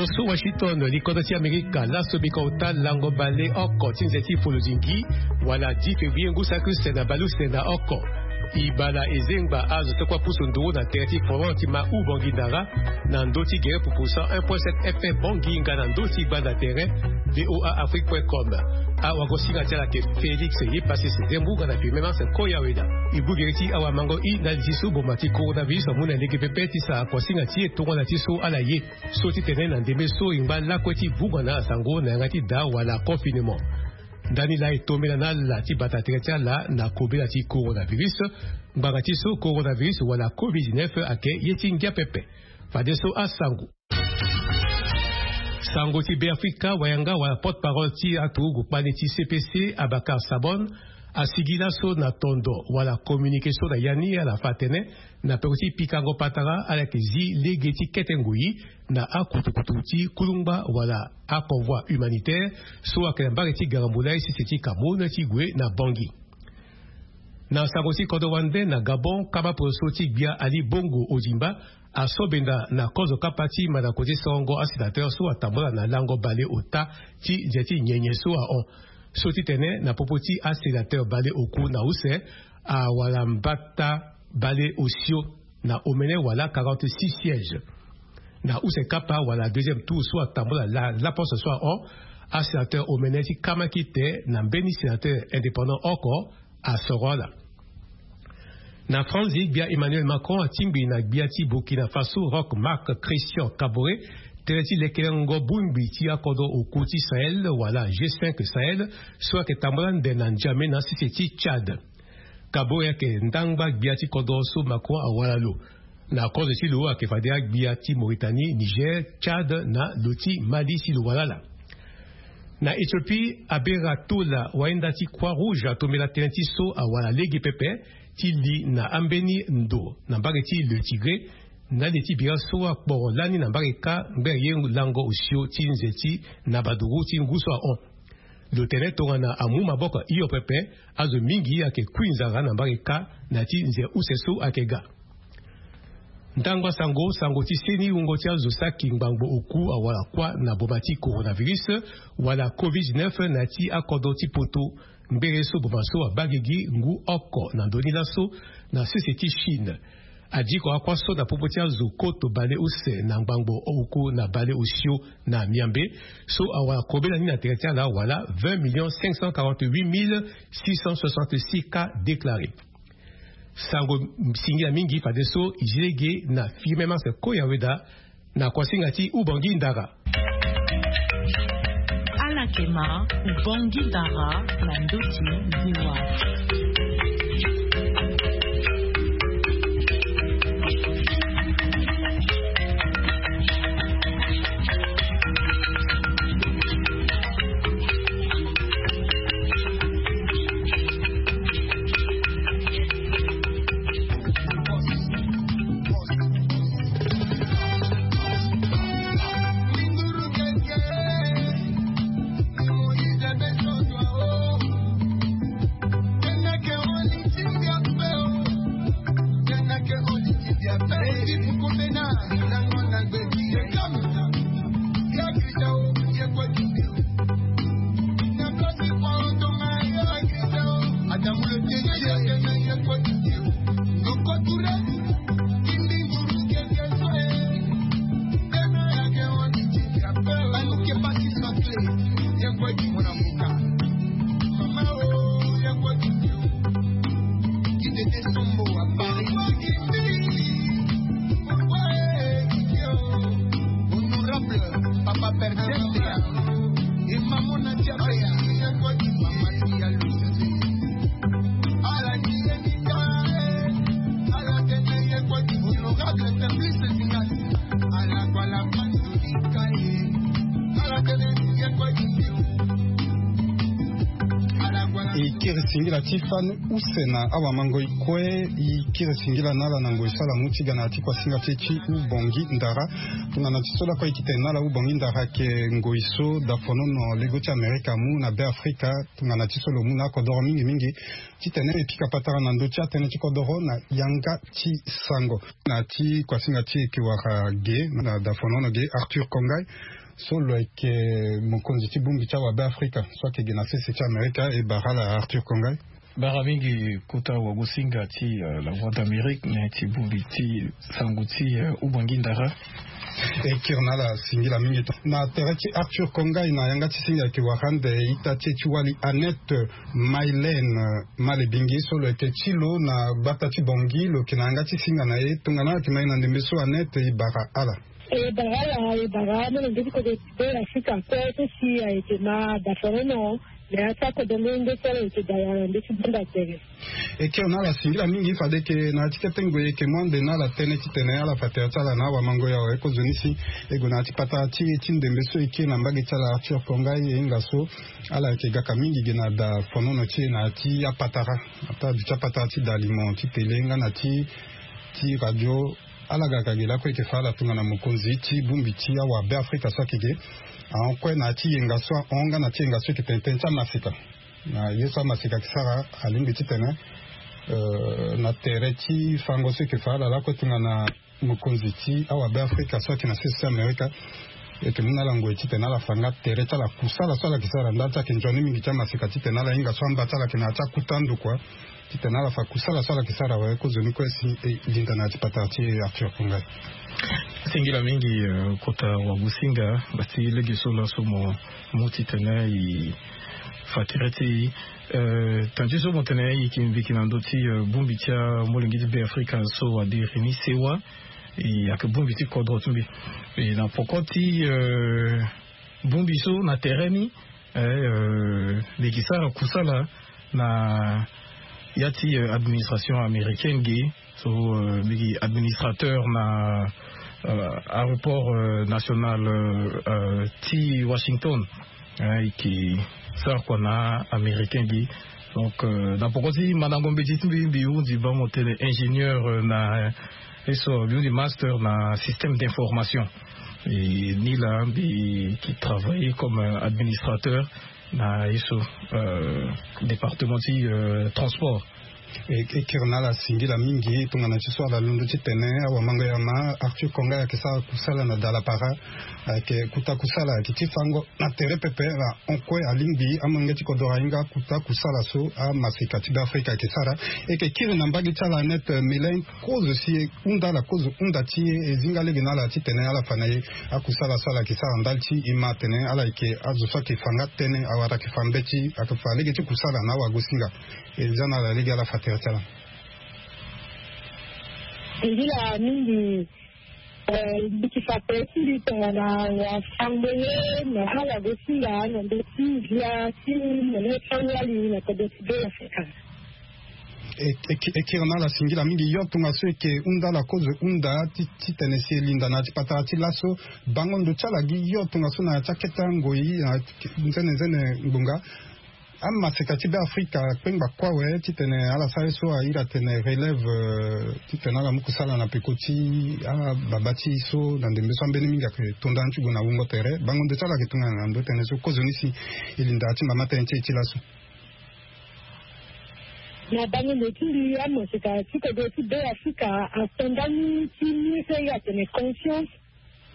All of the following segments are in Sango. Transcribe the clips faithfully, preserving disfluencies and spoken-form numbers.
So Washington, likodro ti Amerika, laso bika ota lango baleoko ti nze ti folodingi wala dix février ngu saki use na baleuse na oko. E bala e zengba azo ti kua pusu nduru na tere ti Florent ti ma u Bongi Ndara, na ndö ti gere pupu cent un point sept F M Bongi nga na ndö ti gbanda tere V O A Afrique point com. Awago singa ti ala ayeke Félix Yepassis Zembu nga na Firmin Marcel Koyaweda. E gbu gere ti awamango i ndali ti so boma ti coronavirus amu na lege pepe ti sara kuasinga ti e tongana ti so ala ye. So ti tene na ndembe so e ngba lakue ti vunga na asango na yanga ti daa wala confinement. Ndani laa e tombela na ala ti bata tere ti ala na kobela ti coronavirus. Ngbanga ti so coronavirus wala covid dix-neuf ayeke ye ti ngia pepe. Fadeso asango. Sango ti Beafrika, wayanga wala porte-parole ti aturugu kpani ti C P C, Abakar Sabon, asigi laso na tondo wala communiqué so na ya ni ala fa atene na peko ti pikango patara ala yeke zi lege ti kete ngoi na akutukutu ti kulungba wala aconvoi humanitaire so ayeke na mbage ti Garamboulaye sese ti Cameroun ti gue na Bangui. Na sango ti kodro wande na Gabon, kama poroso ti gbia Ali Bongo Ondimba asobenda na kozo kapa ti mandako ti sorongo asénateur so atambula na lango baleota ti nze ti nyenye so ahon. So ti tene na popo ti asénateur baleoku na use awara mbata baleosio na omene wala quarante-six sièges. Na use kapa wala deuxième tour so atambula la, laposte so ahon, asénateur omene ti kama kite na mbeni sénateur indépendant oko asoro ala. Na Franzi, gbia Emmanuel Macron atingbi na gbia ti Burkina Faso Roch Marc Christian Kaboré tënë ti lekelengo bongbi ti akodro oku ti Sahel wala G cinq Sahel so ayeke tambula ande na N'Djamena sese ti Tchad. Kaboré ayeke ndangba gbia ti kodro so Macron awara lo. Na kozo ti lo ayeke fade agbia ti Mauritanie, Niger, Tchad na lo ti Mali si lo wara ala. Na Éthiopie, Abera Tola, wayenda ti Croix Rouge, atombela tënë ti so awara lege pepe ti li na ambeni ndo na mbage ti Le Tigré, ndali ti bira so akporo lani na mbage kâ ngbere ye lango osio ti nze ti na baduru ti ngu so ahon. Lo tene tongana amu maboko hio pepe, azo mingi ayeke kui nzara na mbage kâ na ti nze use so ayeke ga. Ndangba sango, sango ti seni wungo ti azo saki ngbangbo oku awara kuâ na boma ti coronavirus wala covid dix-neuf na ya ti akodro ti poto. Ngbere so boma so abaa gigi ngu oko na ndö ni laso na sese ti Chine. Adiko akuâ so na popo ti azo koto baleuse na ngbangbo oku na baleosio na miambe so awara kobela ni na tere ti ala wala vingt millions cinq cent quarante-huit mille six cent soixante-six cas déclarés. Sango singila mingi fadeso e zi lege na Firmin Marcel Koyaweda na kuasinga ti Ubongi Ndara. Ala yeke ma Ubongi Ndara na ndö ti V O A. Honorable Papa Perdente et Maman Nadia Baya, Mama Tia Lucifer. Ala ni ye ni ka, eh. Ala tene ye kwa ti honorable Simplice Zingas. Ala kwa la panzo ni ka, eh. Ala tene ye kwa ti. E kiri singila Ti fani use na awamangoi kue. I kiri singila na ala na ngoi so ala mu ti ga na ya ti kuasinga ti e ti Ubongi Ndara. Tongana ti so lakue e yeke tene na ala, Ubongi Ndara ayeke ngoi so dafonono lego ti Amerika amu na Be Afrika. Tongana ti so lo mu na akodoro mingi mingi titene e pika patara na ndö ti atënë ti kodoro na yanga ti sango. Na ya ti kuasinga ti e yeke wara ge na dafonono ge, Arthur Kongai, so lo yeke mokonzi ti bongbi ti awabe Afrika so ayeke ge na sese ti Amerika. E bara ala, Arthur Kongai. Bara mingi kota wagosinga ti, euh, La Voix d'Amérique, na ya ti bongbi ti sango ti, euh, Ubongi Ndara. E kiri na ala singila mingi. Na tere ti Arthur Kongai, na yanga ti singa ayeke wara ande ita ti e ti wali Annette Mylène Malebingi, so lo yeke ti lo na gbata ti Bangui, lo yeke na yanga ti singa na e. Tongana ala yeke ma e na ndembe so, Annette, e bara ala. E bara ala, e bara amolenge ti kodro ti Be Afrika kue so si ayeke ma dafonono na ya ti akodro nde so ala yeke dara na ndö ti bunda tere. E kiri na ala singila mingi. Fade yeke na ya ti kete ngoi e yeke mu ande na ala tënë titene ala fa tere ti ala na awamangoi awe. Kozoni si e gue na ya ti patara ti e ti ndembe so e kiri na mbage ti ala, Arthur Kongai, e hinga so ala yeke gaka mingi ge na dafonono ti e na ya ti apatara, ata aduti apatara ti dalimo ti tele nga na ti, ti radio. Ala ga ka ge lakue e yeke fa ala tongana mokonzi ti bongbi ti awabe Afrika so ayeke ge ahon kue na ya ti yenga so ahon nga na ti yenga so e yeke tene tënë ti amaseka. Na ye so amaseka ayeke sara, alingbi titene, euh, na tere ti fango so e yeke fa ala lakue tongana mokonzi ti awabe Afrika so ayeke na sese ti Amerika, e yeke mu na ala ngoi titene ala fa nga tere ti ala kusala so ala yeke sara. Ndali ti ala yeke nzoni mingi ti amaseka titene ala hinga so amba ti ala ayeke na ya ti akuta ndo kua. Titene ala fa kusala so ala yeke sara awe. Kozoni kue si e linda na ya ti patara ti e, Arthur Kongai. Singila mingi, euh, kota wagosinga, bati lege so laso mo mu titene e fa tere ti e. Euh, tënë ti so mo tene e yeke mbi yeke na ndö ti, euh, bongbi ti amolenge ti Be Afrika so adiri ni sewa. E ayeke bongbi ti kodro ti mbi. E na poko ti, euh, bongbi so na tere ni, eh, euh, mbi yeke sara kusala na ya ti, euh, administration américaine ge. So, euh, mbi yeke administrateur na, euh, aéroport, euh, national, euh, euh, ti Washington. Eh, e yeke sara kua na américain ge. Donc, euh, na poko ti mandango mbeti ti mbi, mbi hundi bango tene ingénieur, euh, na, euh, ye so mbi hundi master na système d'information. E ni laa mbi yeke travailler comme, euh, administrateur na ye so, euh, département ti, euh, transport. E, e kiri na ala singila mingi. Tongana ti so ala londo titene awamanga ya ma Arthur Kongai ayeke sara kusala na dalapara, ayeke kuta kusala ayeke ti fango na tere pepe. Ala hon kue alingbi amolenge ti kodro ahinga akuta kusala so amaseka ti Be Afrika ayeke sara. E yeke kiri na mbage ti ala Annette Mylène, kozo si e hunda ala, kozo hunda ti e, e zinga lege na ala titene ala fa na e akusala so ala yeke sara ndali ti e ma atene ala yeke azo so ayeke fa nga tënë, awara ayeke fa mbeti, ayeke fa lege ti kusala na awagosinga. E za na ala lege ala fa tere ti ala. Singila mingi, eh, mbi yeke fa tere ti mbi tongana wafango ye na awagosinga na ndö ti ngia ti mene ti awali na kodro ti Be Afrika. E, e, e kiri na ala singila mingi. Yo tongaso e yeke hunda ala kozo hunda ti, titene si e linda na ya ti patara ti laso bango ndo ti ala gi yo tongaso na ya ti akete angoi na nzene nzene ngbonga. Amaseka ti Be Afrika akpengba kue awe titene ala sara ye so a iri atene relève, euh, titene ala mu kusala na peko ti ababa ti e so na ndembe so ambeni mingi ayeke to ndani ti gue na wungo tere. Bango ndo ti ala ayeke tongana na ndo tënë so kozoni si e linda ya ti mama tënë ti e ti laso. Na bango ndo ti mbi, amaseka ti kodro ti Be Afrika ato ndani ti ni so e iri atene conscience.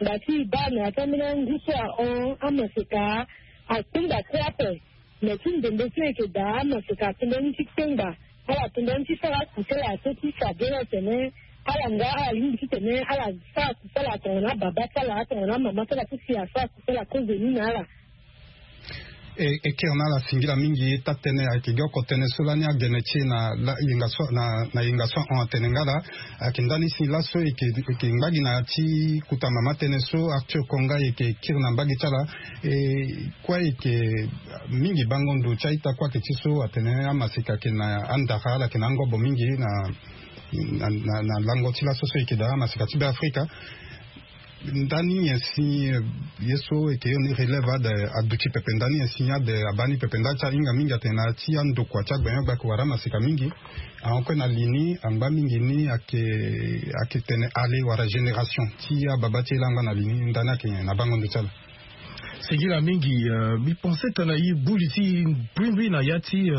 Ngba ti e baa na ya ti ambeni angu so ahon, amaseka akpengba kue ape. Me ti ndembe so e yeke daa, amaseka ato ndani ti kpengba. Ala to ndani ti sara akusala so ti fa bê na tene ala nga ala lingbi titene ala sara kusala tongana ababa ti ala, tongana amama ti ala so si asara kusala kozoni na ala. E, e kiri na ala singila mingi. Taa-tënë ayeke gi oko tënë so lani agene ti e na la, yenga so, na, na yenga so ahon atene nga laa. Ayeke ndani si laso e yeke, e yeke ngba gi na ya ti kuta mama tënë so Arthur Kongai e yeke kiri na mbage ti ala. E kue e yeke mingi bango ndo ti a-ita kue ayeke ti so atene amaseka ayeke na andara, ala yeke na angobo mingi na, na, na, na lango ti laso so e yeke daa amaseka ti Be Afrika. Ndani nyen si ye so eke yo ni relève ade aduti pepe? Ndani nyen si ade abaa ni pepe? Ndali ti ahinga mingi atene na ya ti andokua ti agbenyo-gbia ake wara amaseka mingi. Ahon kue na li ni angba mingi ni ake ake tene ale wala génération ti ababa ti e laa angba na li ni. Ndani ake nyen na bango ndo ti ala? Singila mingi. Mbi pense tene e buli ti e mbrimbri na ya ti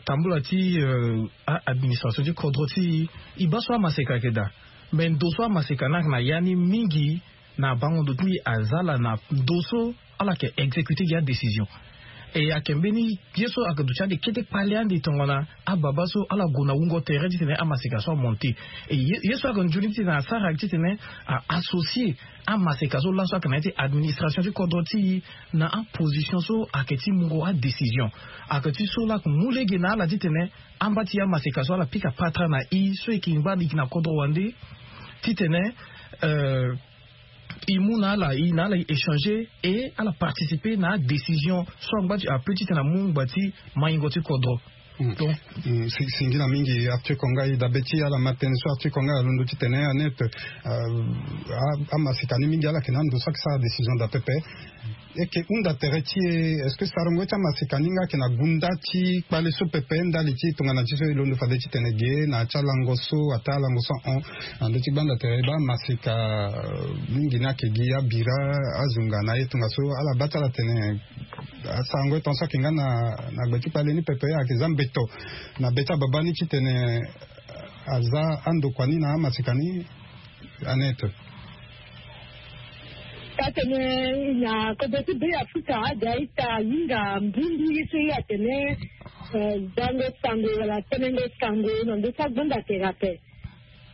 tambula ti a administration ti kodro ti e. E baa so amaseka ayeke daa. Me ndo so amaseka ni ayeke na ya ni mingi na bango ndo ti mbi aza ala na ndo so ala yeke exécuter gi adécision. E ayeke mbeni ye so ayeke duti ande kete kpale ande tongana ababa so ala gue na wungo tere titene amaseka so amonte. E ye so ayeke nzoni titene asara ayeke titene a associer amaseka so laso ayeke na ya ti administration ti kodro ti e na aposition so ayeke ti mungo adécision. Ayeke ti so laa ayeke mu lege na ala titene amba ti amaseka so ala pika patara na e so e yeke ngba e yeke na kodro wande titene e mu na ala e na ala e échanger e ala participer na adécision so angba ti ape titene amu ngba ti maingo ti kodro. Donc singila mingi Arthur Konga. E dabe ti ala ma tënë so Arthur Konga alondo titene anet amaseka ni mingi ala yeke na ando so ayeke sara décision daa pepe. E yeke hunda tere ti e est-ce que sarango ti amaseka ni nga ayeke na gunda ti kpale so pepe ndali ti tongana ti so e londo fade titene ge na ya ti alango so ataa alango so ahon na ndö ti gbanda tere e baa amaseka mingi ni ayeke gi abira azunga na ye tongaso ala baa ti ala tene asarango e tongaso ayeke nga na gbe ti kpale ni pepe ayeke za mbeto na be ti ababa ni titene aza andokua ni na amaseka ni. Anete. Ka tene na kodro ti be afrika aga ita ahinga mbumbi ye so ye atene zango sango wala tenengo sango na ndö ti agbanda tere ape.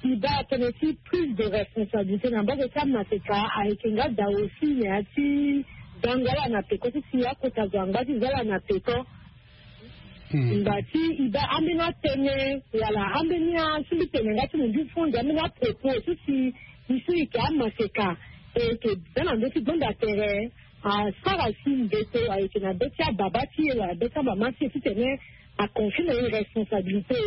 E baa tënë ti prise de responsabilité na mbage ti amaseka ayeke nga daa aussi na ya ti zango ala na peko ti si akota zo angba ti za ala na peko. Ngba ti e baa ambeni atënë wala ambeni asimbi tene nga ti mo mbi fo nde ambeni apropos so si e so e yeke amaseka e yeke za na ndö ti gbanda tere asara si mbeto ayeke na be ti ababa ti e wala be ti amama ti e titene aconfie na e responsabilité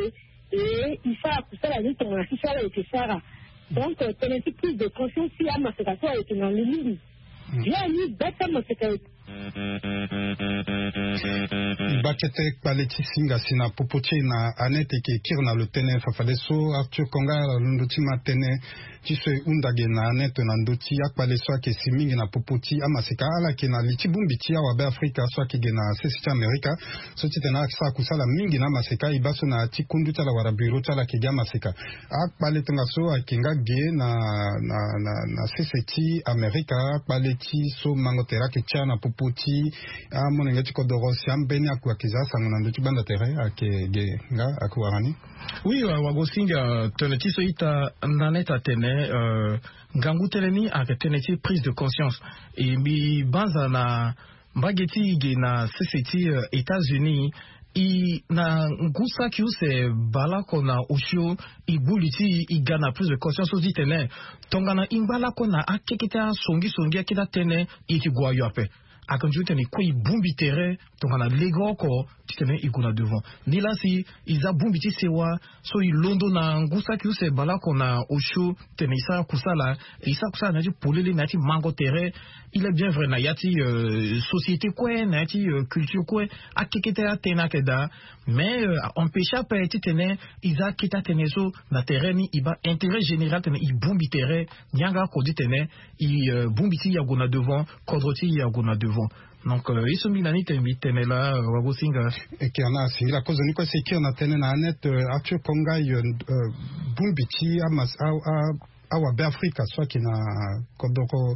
e e sara kusala ni tongana si so ala yeke sara. Donc tënë ti prise de conscience ti amaseka so ayeke na lo mingi. Bien ni be ti amaseka e. Baa kete kpale ti singa si na popo ti e na Annette e yeke kiri na lo tënë fa fadeso Arthur Konga alondo ti ma tënë ti so e hunda ge na Annette na ndö ti akpale so ayeke si mingi na popo ti amaseka ala yeke na li ti bongbi ti awabe afrika so ayeke ge na sese ti amerika. So titene ala yeke sara kusala mingi na amaseka e baa so na ya ti kundu ti ala wala bureau ti ala ayeke gi amaseka. Akpale tongaso ayeke nga ge na na na na sese ti amerika akpale ti so mango tere ayeke tia na popo ti amolenge ti kodoro si ambeni akua ayeke za asango na ndö ti gbanda tere ayeke ge nga ayeke wara ni. Oui, wagosinga tene ti so ita na neta tene ngangu tënë ni ayeke tënë ti prise de conscience. E mbi banza na mbage ti e ge na sese ti états-unis. E na ngu saki use baleoko na osio e gbu li ti e e ga na prise de conscience so ti tene tongana e ngba lako na akekete asongisongi akete atënë e yeke gue ayo ape. Ayeke nzoni tene e kue e bongbi tere tongana legeoko titene e gue na devant. Nilaa si e za bongbi ti sewa so e londo na ngu saki use baleoko na osio tene e sara kusala e sara kusala na ya ti polele na ya ti mango tere. Il est bien vrai na ya ti société kue na ya ti culture kue akekete atënë ayeke daa. Mais a empêche ape titene e za akete atënë so na tere ni e baa intérêt général tene e bongbi tere. Nyange ako ti tene e bongbi ti e ague na devant kodro ti e ague na devant. Donc ye so mbi na ni tene mbi tene laa wagosinga. Eke ana asingila kozoni kue si e kiri na tënë na Annette Arthur Konga yo bongbi ti amas awabe afrika so ayeke na kodoro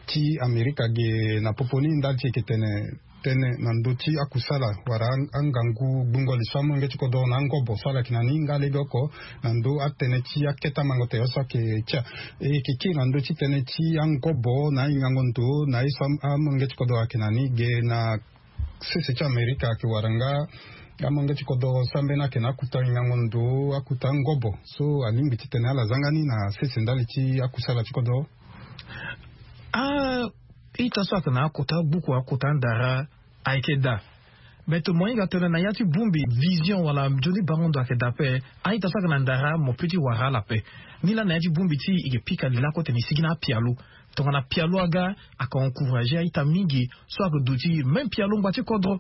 ti amerika ge na popo ni ndali ti e yeke tene tënë na ndö ti akusala wala angangu gbungo li so amolenge ti kodoro na angobo so ala yeke na ni nga legeoko na ndö atënë ti akete amango tere so ayeke tia. E yeke kiri na ndö ti tënë ti angobo na ahingango ndo na ye so amolenge ti kodoro ayeke na ni ge na sese ti amerika ayeke wara nga amolenge ti kodoro so ambeni ayeke na akuta hingango ndo akuta angobo so alingbi titene ala zanga ni na sese ndali ti akusala ti kodoro. Ah, ita so ayeke na akota agbuku akota andara ayeke daa. Beto mo hinga tene na ya ti bongbi vision wala nzoni bango ndo ayeke daa ape. A-ita so ayeke na ndara mo pe ti wara ala ape. Nilaa na ya ti bongbi ti e yeke pika lilako tene e sigi na apialo. Tongana pialo aga, ayeke encourager a-ita mingi so ayeke duti même pialo ngba ti kodro.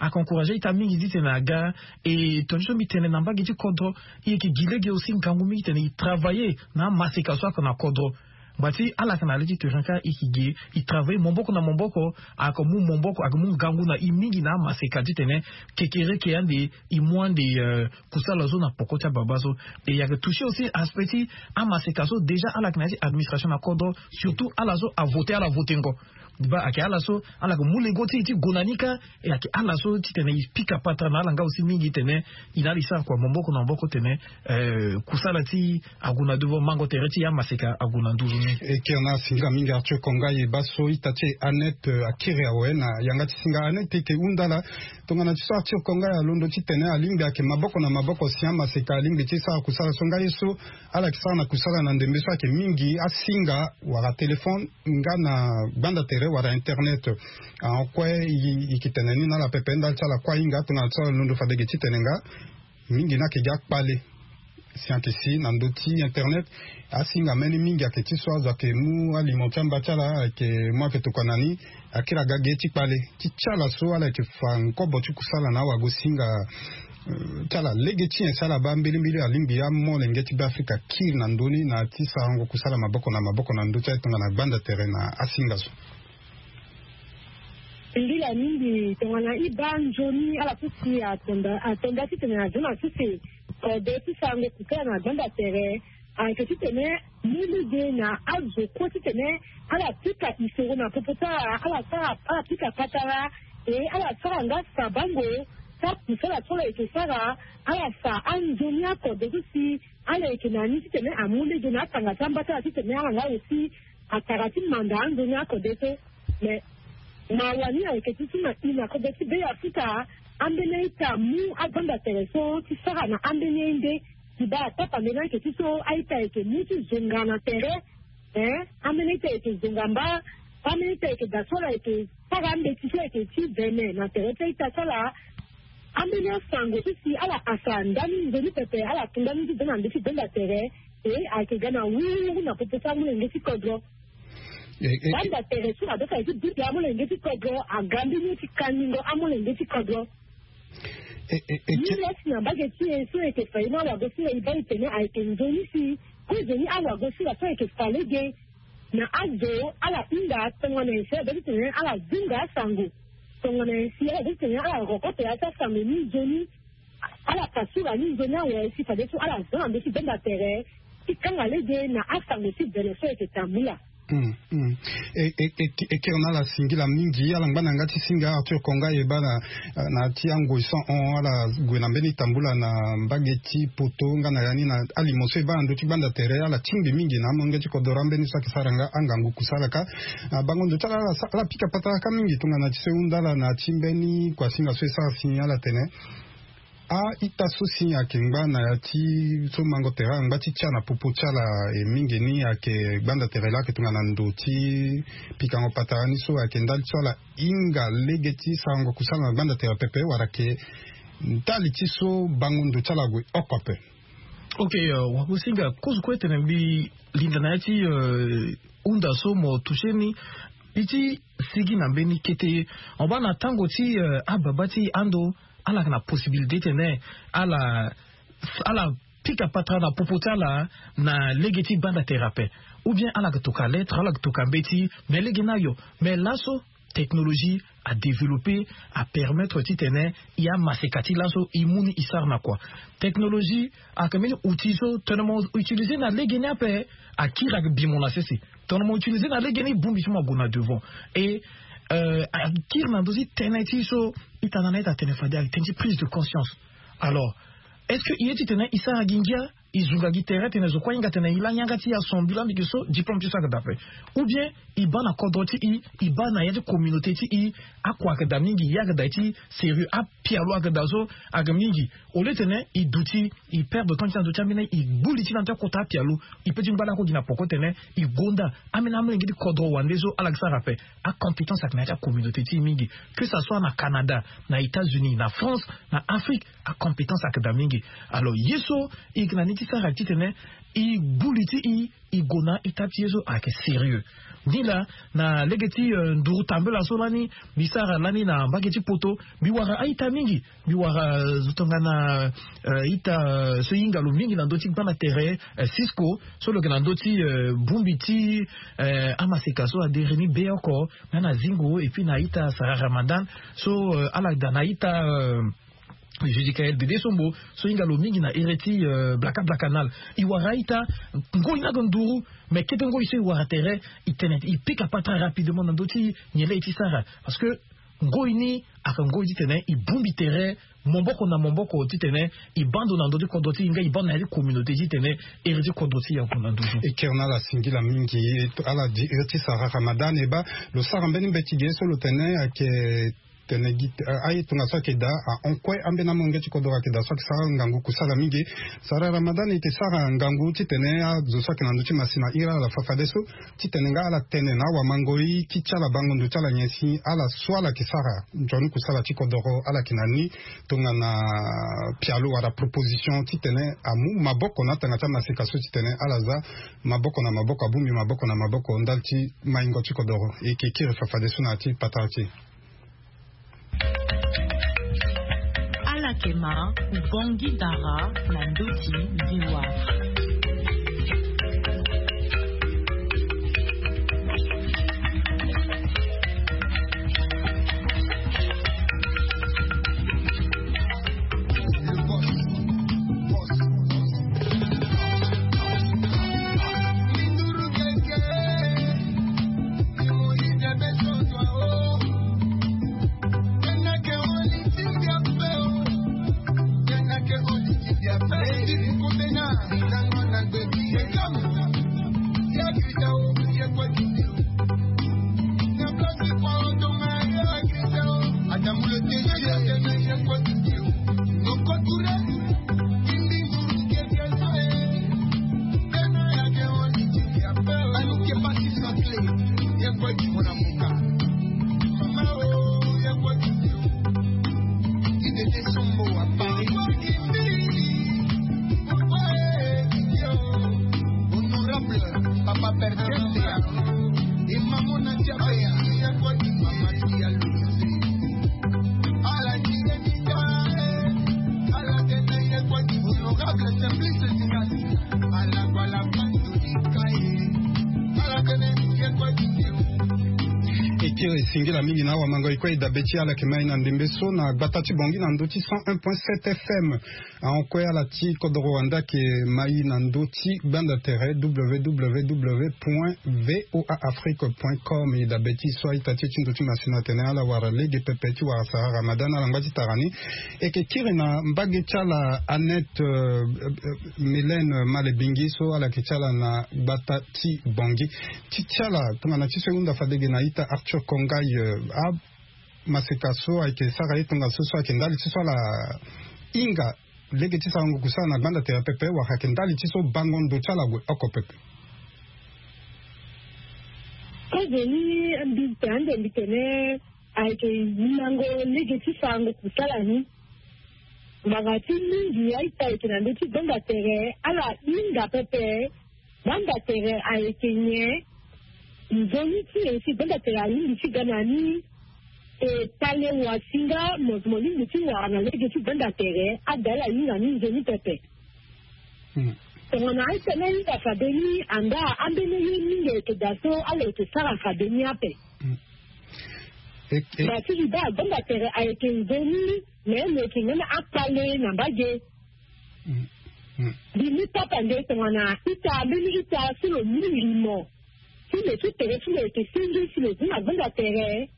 Ayeke encourager a-ita mingi titene aga. E tonga ti so mbi tene na mbage ti kodro, e yeke gi lege aussi ngangu mingi titene e travailler na amaseka so ayeke na kodro. Ngba ti ala yeke na le ti terrain kâ, e yeke gi, e travailler maboko na maboko. Ayeke mu maboko, ayeke mu ngangu na e mingi na amaseka titene kekereke ande e mu ande, euh, kusala so na poko ti ababa so. E ayeke toucher aussi aspect ti amaseka so déjà ala yeke na ya ti administration na kodro, surtout ala so avote, ala votengo. Ba ayeke ala so ala yeke mu lego ti e ti gue na ni kâ. E ayeke ala so titene e pika patara na ala nga aussi mingi titene e na ala e sara kua maboko na maboko titene, euh, kusala ti e ague na devant, mango tere ti e amaseka ague na nduru ni. E kiri na singila mingi Arthur Konga. E baa so ita ti e Annette, euh, akiri awe na yanga ti singa. Annette, e yeke hunda ala tongana ti so Arthur Konga alondo titene alingbi ayeke maboko na maboko si amaseka alingbi ti sara kusala so nga ye so ala yeke sara na kusala na ndembe so ayeke mingi asinga wala téléphone nga na gbanda tere wala internet. Ah, kue e, e yeke tene ni na ala pepe ndali ti ala kue ahinga tongana ti so alondo fade ge titene nga mingi ni ayeke gi akpale. Si ayeke si na ndö ti internet, asinga mbeni mingi ayeke ti so azo ayeke mu alimo ti amba ti ala, ayeke mu ayeke tokua na ni, akiri aga ge ti kpale ti ti ala so ala yeke fa nkobo ti kusala na awagosinga, euh, ti ala lege ti nyen si ala baa mbilimbili alingbi amolenge ti Beafrika akiri na ndö ni na ya ti sarango kusala maboko na maboko na ndö ti aye tongana gbanda tere na asinga so. Mbila mingi tongana e baa nzoni ala so si atonda, atonda titene aza na sese kode ti sarango kusala na gbanda tere, ayeke titene mu lege na azo kue titene ala pika isoro na popo ti ala, ala sara, ala pika patara, e ala sara nga sabango ti akusala so ala yeke sara, ala fa anzoni akode so si ala yeke na ni titene amu lege na atanga ti amba ti ala titene ala nga aussi atara ti manda anzoni akode so. Mais mawa ni ayeke ti so na e na kodro ti Beafrika, ambeni a-ita amu agbanda tere so ti sara na ambeni aye nde. Ti baa atapambeni ayeke ti so a-ita ayeke mu ti zonga na tere. Hein, ambeni a-ita ayeke zonga mba, ambeni a-ita ayeke daa so ala yeke sara ambeti so ayeke ti vene na tere ti a-ita so ala. Ambeni asango so si ala hasa ndani nzoni pepe, ala tu ndani ti daa na ndö ti gbanda tere. E ayeke ga na wuru wuru na popo ti amolenge ti kodro. E, e, e. Gbanda tere so adoka ye ti duti amolenge ti kodro, aga mbeni ye ti kandingo amolenge ti kodro. E, e, e, ni ke- lasi na mbage ti e so e yeke fa ye ni awagosinga e baa e tene ayeke nzoni si kozoni awagosinga so ayeke fa lege na azo ala hinga tongana nyen si ala doit ti tene ala zinga asango. Tongana nyen si ala doit ti tene ala roko tere ti asango ni nzoni. Ala pasura ni nzoni awe si fadeso ala za na ndö ti gbanda tere ti kanga lege na asango ti vene so ayeke tambula. Hmm, hmm. E, e, e, e kiri na ala singila mingi, ala ngba na yanga ti singa Arthur Konga e baa na, na ti angoi so ahon ala gue na mbeni tambula na mbage ti poto nga na ya ni na alimo so e baa na ndö ti gbanda tere, ala tingbi mingi na amolenge ti kodro ambeni so ayeke sara nga angangu kusala kâ. Na bango ndo ti ala, ala sa-, ala pika patara kâ mingi tongana ti so e hunda ala na ti mbeni kuasinga so e sara si ala tene. A-ita so si ayeke ngba na ya ti so mango tere angba ti tia na popo ti ala, e mingi ni ayeke gbanda tere laa ayeke tongana ndo ti pikango patara ni so ayeke ndali ti so ala hinga lege ti sarango kusala na gbanda tere pepe wala ayeke ndali ti so bango ndo ti ala ague oko ape. Ok, euh, wagosinga kozo kue tene mbi linda na ya ti, euh, hunda so mo toucher ni. Mbi ti sigi na mbeni kete. Mo baa na tango ti, euh, ababa ti ando, ala yeke na possibilité tene ala, ala pika patara na popo ti ala na lege ti gbanda tere ape. Ou bien ala yeke toka lettre, ala yeke toka mbeti, mais lege ni ayo. Mais laso technologie a développé, a permettre titene e amaseka ti laso e mu ni e sara na kua. Technologie ayeke mbeni outil so tongana mo utiliser na lege ni ape, akiri ayeke bi mo na sese. Tongana mo utiliser na lege ni, bongbi ti mo ague na devant. Et, euh, akiri na ndö ti tënë ti so ita na na ita atene fade ayeke tënë ti prise de conscience. Alors, est-ce que e ye titene e sara gi ngia? e zunga gi tere tene zo kue ahinga tene e la yanga ti e asombi lambiki so diplôme ti so ayeke daa ape. Ou bien e baa na kodro ti e, e baa na ya ti communauté ti e. Akua ayeke daa mingi, ye ayeke daa ye ti sérieux, apialo ayeke daa so ayeke mingi. Au lieu tene e duti, e perdre temps ti na ndö ti ambeni, e gbu li ti na ndö ti akota apialo. E pe ti ngba lakue gi na poko tene e gonda ambeni amolenge ti kodro wande so ala yeke sara ape. Acompétence ayeke na ya ti acommunauté ti e mingi, que ça soit na Canada, na États-Unis, na France, na Afrique, acompétence ayeke daa mingi. Alors ye so e yeke na ni ti sara titene e gbu li ti e, e gue na ita ti ye so ayeke sérieux. Ni laa, na lege ti nduru tambela so lani mbi sara lani na mbage ti poto, mbi wara a-ita mingi. Mbi wara zo tongana ita so e hinga lo mingi na ndö ti gbanda tere, Cisco, so lo yeke na ndö ti bongbi ti amaseka so adere ni be oko, na na zingo, et puis na ita Sara Ramadan so ala daa na ita Judicaël Dede Sombo so hinga lo mingi na ere ti Blaka Blaka Nal. E wara a-ita ngoi ni ayeke nduru, mais kete ngoi so e wara tere, e tene e pika patara rapidement na ndö ti nyen laa e ti sara. Parce que ngoi ni ayeke ngoi titene e bongbi tere maboko na maboko titene e baa ndo na ndö ti kodro ti e nga e baa ndo na ya ti communauté titene ere ti kodro ti e ague na nduzu. E kiri na ala singila mingi. Ala di ere ti Sara Ramadan, e baa lo sara mbeni mbeti ge so lo tene ayeke tene gi aye tongaso ayeke daa ahon kue ambeni amolenge ti kodro ayeke daa so ayeke sara ngangu kusala mingi. Sara Ramadan e yeke sara ngangu titene azo so ayeke na ndö ti masina iri ala fafadeso titene nga ala tene na awamangoi ti ti ala bango ndo ti ala nyen si ala so ala yeke sara nzoni kusala ti kodoro ala yeke na ni tongana pialo wala proposition titene amu maboko na atanga ti amaseka so titene ala za maboko na maboko, abongbi maboko na maboko ndali ti maingo ti kodoro. E yeke kiri fafadeso na ya ti patara ti e. Ala yeke ma Ubangui Dara na ndö ti V O A. Eke esingila mingi na awamango e kue e dabe ti ala yeke mai na ndembe so na gbata ti Bangui na ndö ti cent un point sept F M. Ahon kue ala ti kodoro wande ayeke mai na ndö ti gbanda tere W W W point V O A Afrique point com. E dabe ti so a-ita ti e ti ndö ti masina atene ala wara lege pepe ti wara Sara Ramadan ala ngba ti tara ni. E yeke kiri na mbage ti ala Annette Mélène Malebingi so ala yeke ti ala na gbata ti Bangui. Ti ti ala tongana ti so e hunda fade ge na a-ita Arthur Kongay, amaseka so ayeke sara ye tongaso so ayeke ndali ti so ala hinga lege ti sarango kusala na gbanda tere pepe wala ayeke ndali ti so bango ndo ti ala gue oko pepe? Kozoni mbi tene ande mbi tene ayeke hingango lege ti sarango kusala ni. Ngbanga ti mingi a-ita ayeke na ndö ti gbanda tere ala hinga pepe gbanda tere ayeke nyen? Nzoni ti e si gbanda tere alingbi ti ga na ni. E kpale wasinga mo lingbi ti wara na lege ti gbanda tere ada ala hinga ni nzoni pepe. Tongana a-ita ni ahinga fade ni anda ambeni ye mingi ayeke daa so ala yeke sara fade ni ape. Ma ti li baa gbanda tere ayeke nzoni. Me lo yeke ngana akpale na mbage. Mbi mu papa nde tongana ita mbeni ita so lo mu limo ti lo ti tere ti lo yeke senge si lo zi na gbanda tere.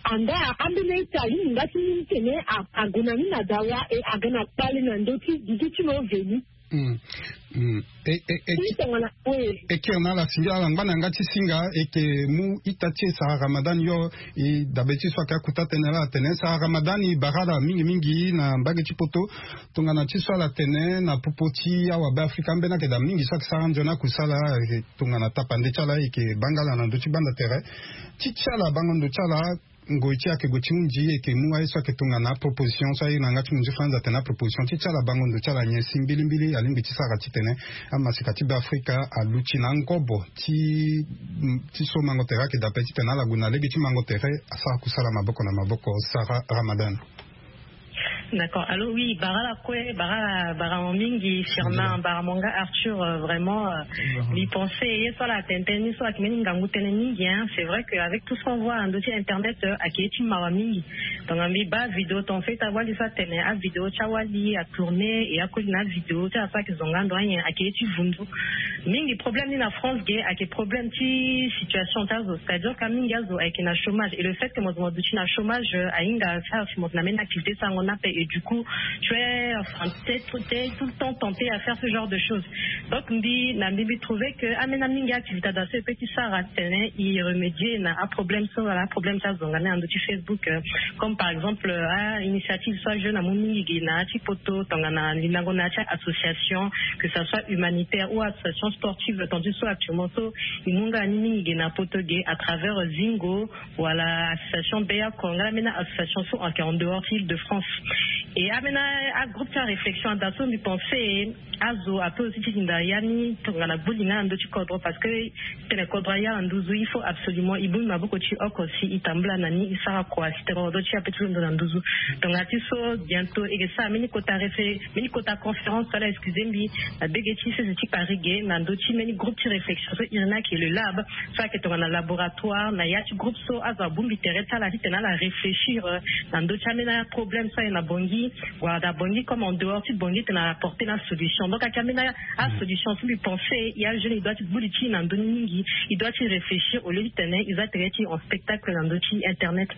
Anda ambeni ita alingbi nga ti mu tene ague na ni na dawa e aga na kpale na ndö ti dudu ti lo veni. Mm. Mm. E, e, e, e kiri na ala singila ala ngba na yanga ti singa eke mu ita ti e Sarah Ramadan yo. E dabe ti so ayeke akuta tënë laa atene Sarah Ramadan e bara ala mingi mingi na mbage ti poto. Tongana ti so ala tene na popo ti awabe afrika ambeni ayeke daa mingi so ayeke sara nzoni akusala. Tongana tapande ti ala eke banga ala na ndö ti gbanda tere ti ti ala bango ndo ti ala. Ngoi ti ayeke gue ti hunzi eke mu aye so ayeke tongana aproposition so aye na yanga ti munzi franz atene aproposition ti ti ala bango ndo ti ala nyen si mbilimbili alingbi ti sara titene amaseka ti be afrika aluti na angobo ti ti so mango tere ayeke dape titene ala gue na lege ti mango tere. Asara kusala maboko na maboko. Sarah Ramadan. D'accord. Allô, oui, bara la kue, bara, bara mo mingi, Firmin, bara mo nga Arthur, euh, vraiment, euh, mbi pense ye so ala tene tënë ni so ayeke mbeni ngangu tënë mingi, hein. C'est vrai que avec tout ce qu'on voit na ndö ti internet, euh, ayeke ye ti mawa mingi. Donc mbi baa vidéo ton fait awali so atene avidéo ti awali atourné et akoli na avidéo ti ala so ayeke zonga ndo anyen ayeke ye ti vundu. Mingi problème ni na France ge ayeke problème ti situation ti azo, c'est-à-dire ka mingi azo ayeke na chômage et le fait que mo zo mo duti na chômage, euh, ahinga asara si mo tene na mbeni activité sarango ni ape et du coup tu es, enfin, t'es tout, t'es tout le temps tenté à faire ce genre de choses. Donc mbi na mbi mbi trouver que ambeni amingi activité adaso e peut ti sara titene e remédier na aproblème so wala aproblème ti azonga ni na ndö ti Facebook, euh, comme par exemple, euh, ainitiative so ajeune amu mingi ge na ya ti poto tongana lindango na ya ti association, que ça soit humanitaire ou association sportive, tandis so actuellement so e mu nga ni mingi ge na poto ge à travers, euh, Zingo, wala association Beya Konga, la mbeni association so ayeke en dehors ti Île-de-France. Et ambeni agroupe ti aréflexion adaso mbi pense azo ape aussi ti hinda ya ni tongana gbu li nga na ndö ti kodro parce que tene kodro aya na nduzu il faut absolument e bongbi maboko ti e oko si e tambula na ni e sara kua si tene kodro ti e ape ti londo na nduzu. Tongana ti so bientôt e yeke sara mbeni kota réfé mbeni kota conférence so ala excusé mbi na bege ti sese ti Paris ge na ndö ti mbeni groupe ti réflexion so iri ni ayeke le lab so ayeke tongana laboratoire na ya ti groupe so azo abongbi tere ti ala titene ala réfléchir, euh, na ndö ti ambeni aproblème so aye na Bangui wala na Bangui comme en dehors ti Bangui titene ala porter na solution. Donc ayeke ambeni asolution so mbi pense e ajeune e doit ti gbu li ti e na ndö ni mingi. E doit ti réfléchir au lieu titene e za tere ti en spectacle na ndö ti internet.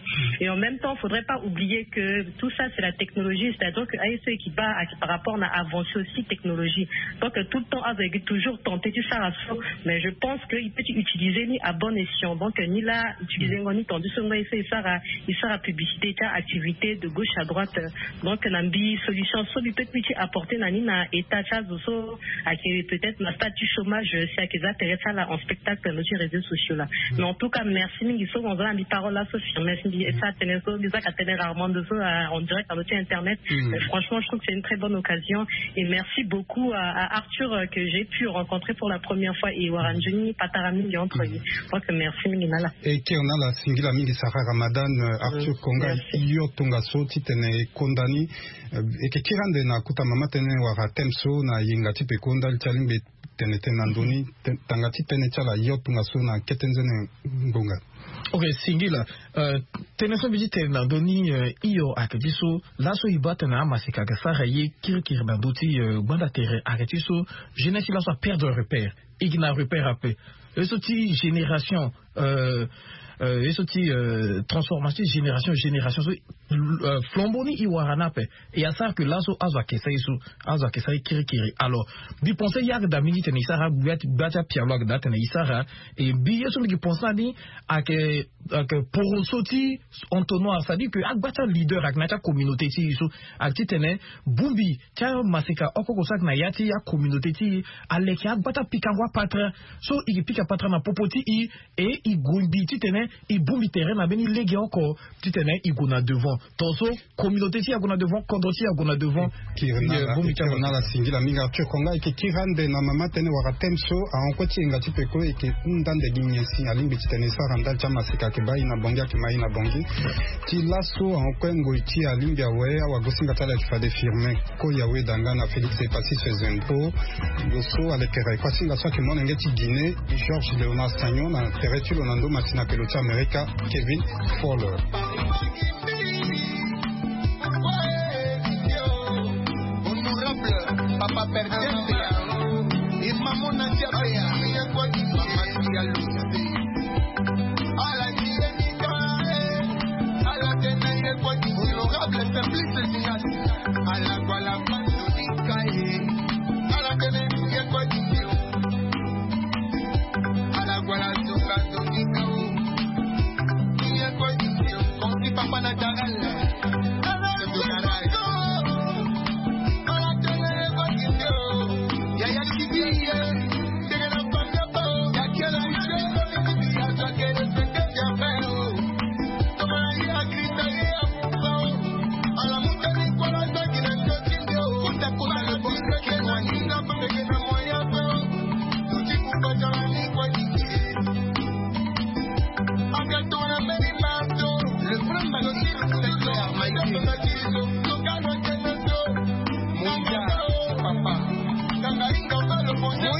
Et en même temps faudrait pas oublier que tout ça c'est la technologie, c'est-à-dire que aye so e yeke baa ayeke par rapport na avancée aussi technologie. Donc tout le temps azo ayeke toujours tenté ti sara so, mais je pense que e peut ti utiliser ni à bon escient. Donc ni la utiliser ngo ni tandis so ngo aye so e sara e sara publicité ti aactivité de gauche à droite. Donc na mbi solution so mbi peut mbi ti apporter na ni na état ti azo so ayeke peut-être na stade ti chômage si ayeke za tere ti ala en spectacle na ndö ti réseaux sociaux là. Mais en tout cas merci mingi so mo za na mbi parole laso. Merci mingi. Et ça tene so mbi zaka tene rarement ndo so en direct na ndö ti internet. Mais franchement je trouve que c'est une très bonne occasion. Et merci beaucoup à, à Arthur, euh, que j'ai pu rencontrer pour la première fois et wara nzoni patara mingi entre ye. Donc merci mingi na ala. E kiri na ala singila mingi Sarah Ramadan. Euh, Arthur Konga, yo tongaso titene e konda ni. Euh, e yeke kiri ande na kota mama tënë wala thème so na yenga ti peko ndali ti alingbi tene tënë na ndoni. Tanga ti tënë ti ala yo tongaso na kete nzoni ngonga. Ok, singila. Euh, tënë so mbi ti tene na ndö ni, euh, hio ayeke ti so laso e baa tene amaseka ayeke sara ye kirikiri na ndö ti, euh, gbanda tere ayeke ti so jeunesse ti laso aperdre repère. E gi na repère ape. Ye so ti génération, euh, euh, ye so ti, euh, transformation ti génération génération so, euh, flambeau ni e wara ni ape. E asara ke laso azo ayeke sara ye so, azo ayeke sara ye kirikiri. Alors mbi pense e yeke daa mingi titene e sara gba ti apialo ayeke daa titene e sara. E mbi ye so mbi yeke pense na ni ayeke, ayeke poroso ti entonnoir, c'est-à-dire que agba ti aleader ayeke na ya ti acommunauté ti e so ayeke titene bongbi ti amaseka oko oko so ayeke na ya ti acommunauté ti e aleke agba ti apikango apatara so e yeke pika patara na popo ti e. E e gue mbi titene e bongbi tere na mbeni lege oko titene e gue na devant. Tongaso communauté ti e ague na devant, kodro ti e ague na devant. Kiri na ala singila mingi Arthur Konga. E yeke kiri ande na mama tënë wala thème so ahon kue ti yenga ti peko e yeke hunda ande gi nyen si alingbi titene e sara ndali ti amaseka ayeke baa e na Bangui ayeke ma e na Bangui. Ti laso ahon kue ngoi ti e alingbi awe awagosinga ti ala ayeke fade Firmin Koyawe danga na Félix Epassis Zempo. Lo so alekere kuasinga so ayeke molenge ti Guinée Georges Léonard Sagnon na tere ti lo na ndo matina pelo ti Amerika Kevin Fowler. Honorable Papa Perdente, Imamona Diabea, Mama Diallo. Ala ti ye ni ka e, ala tene ye kue ti honorable Simplice Zingas. Ala kue ala pasonika e. Ala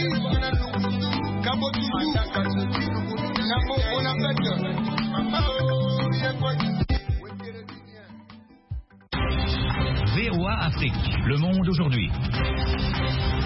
V O A Afrique, le monde aujourd'hui.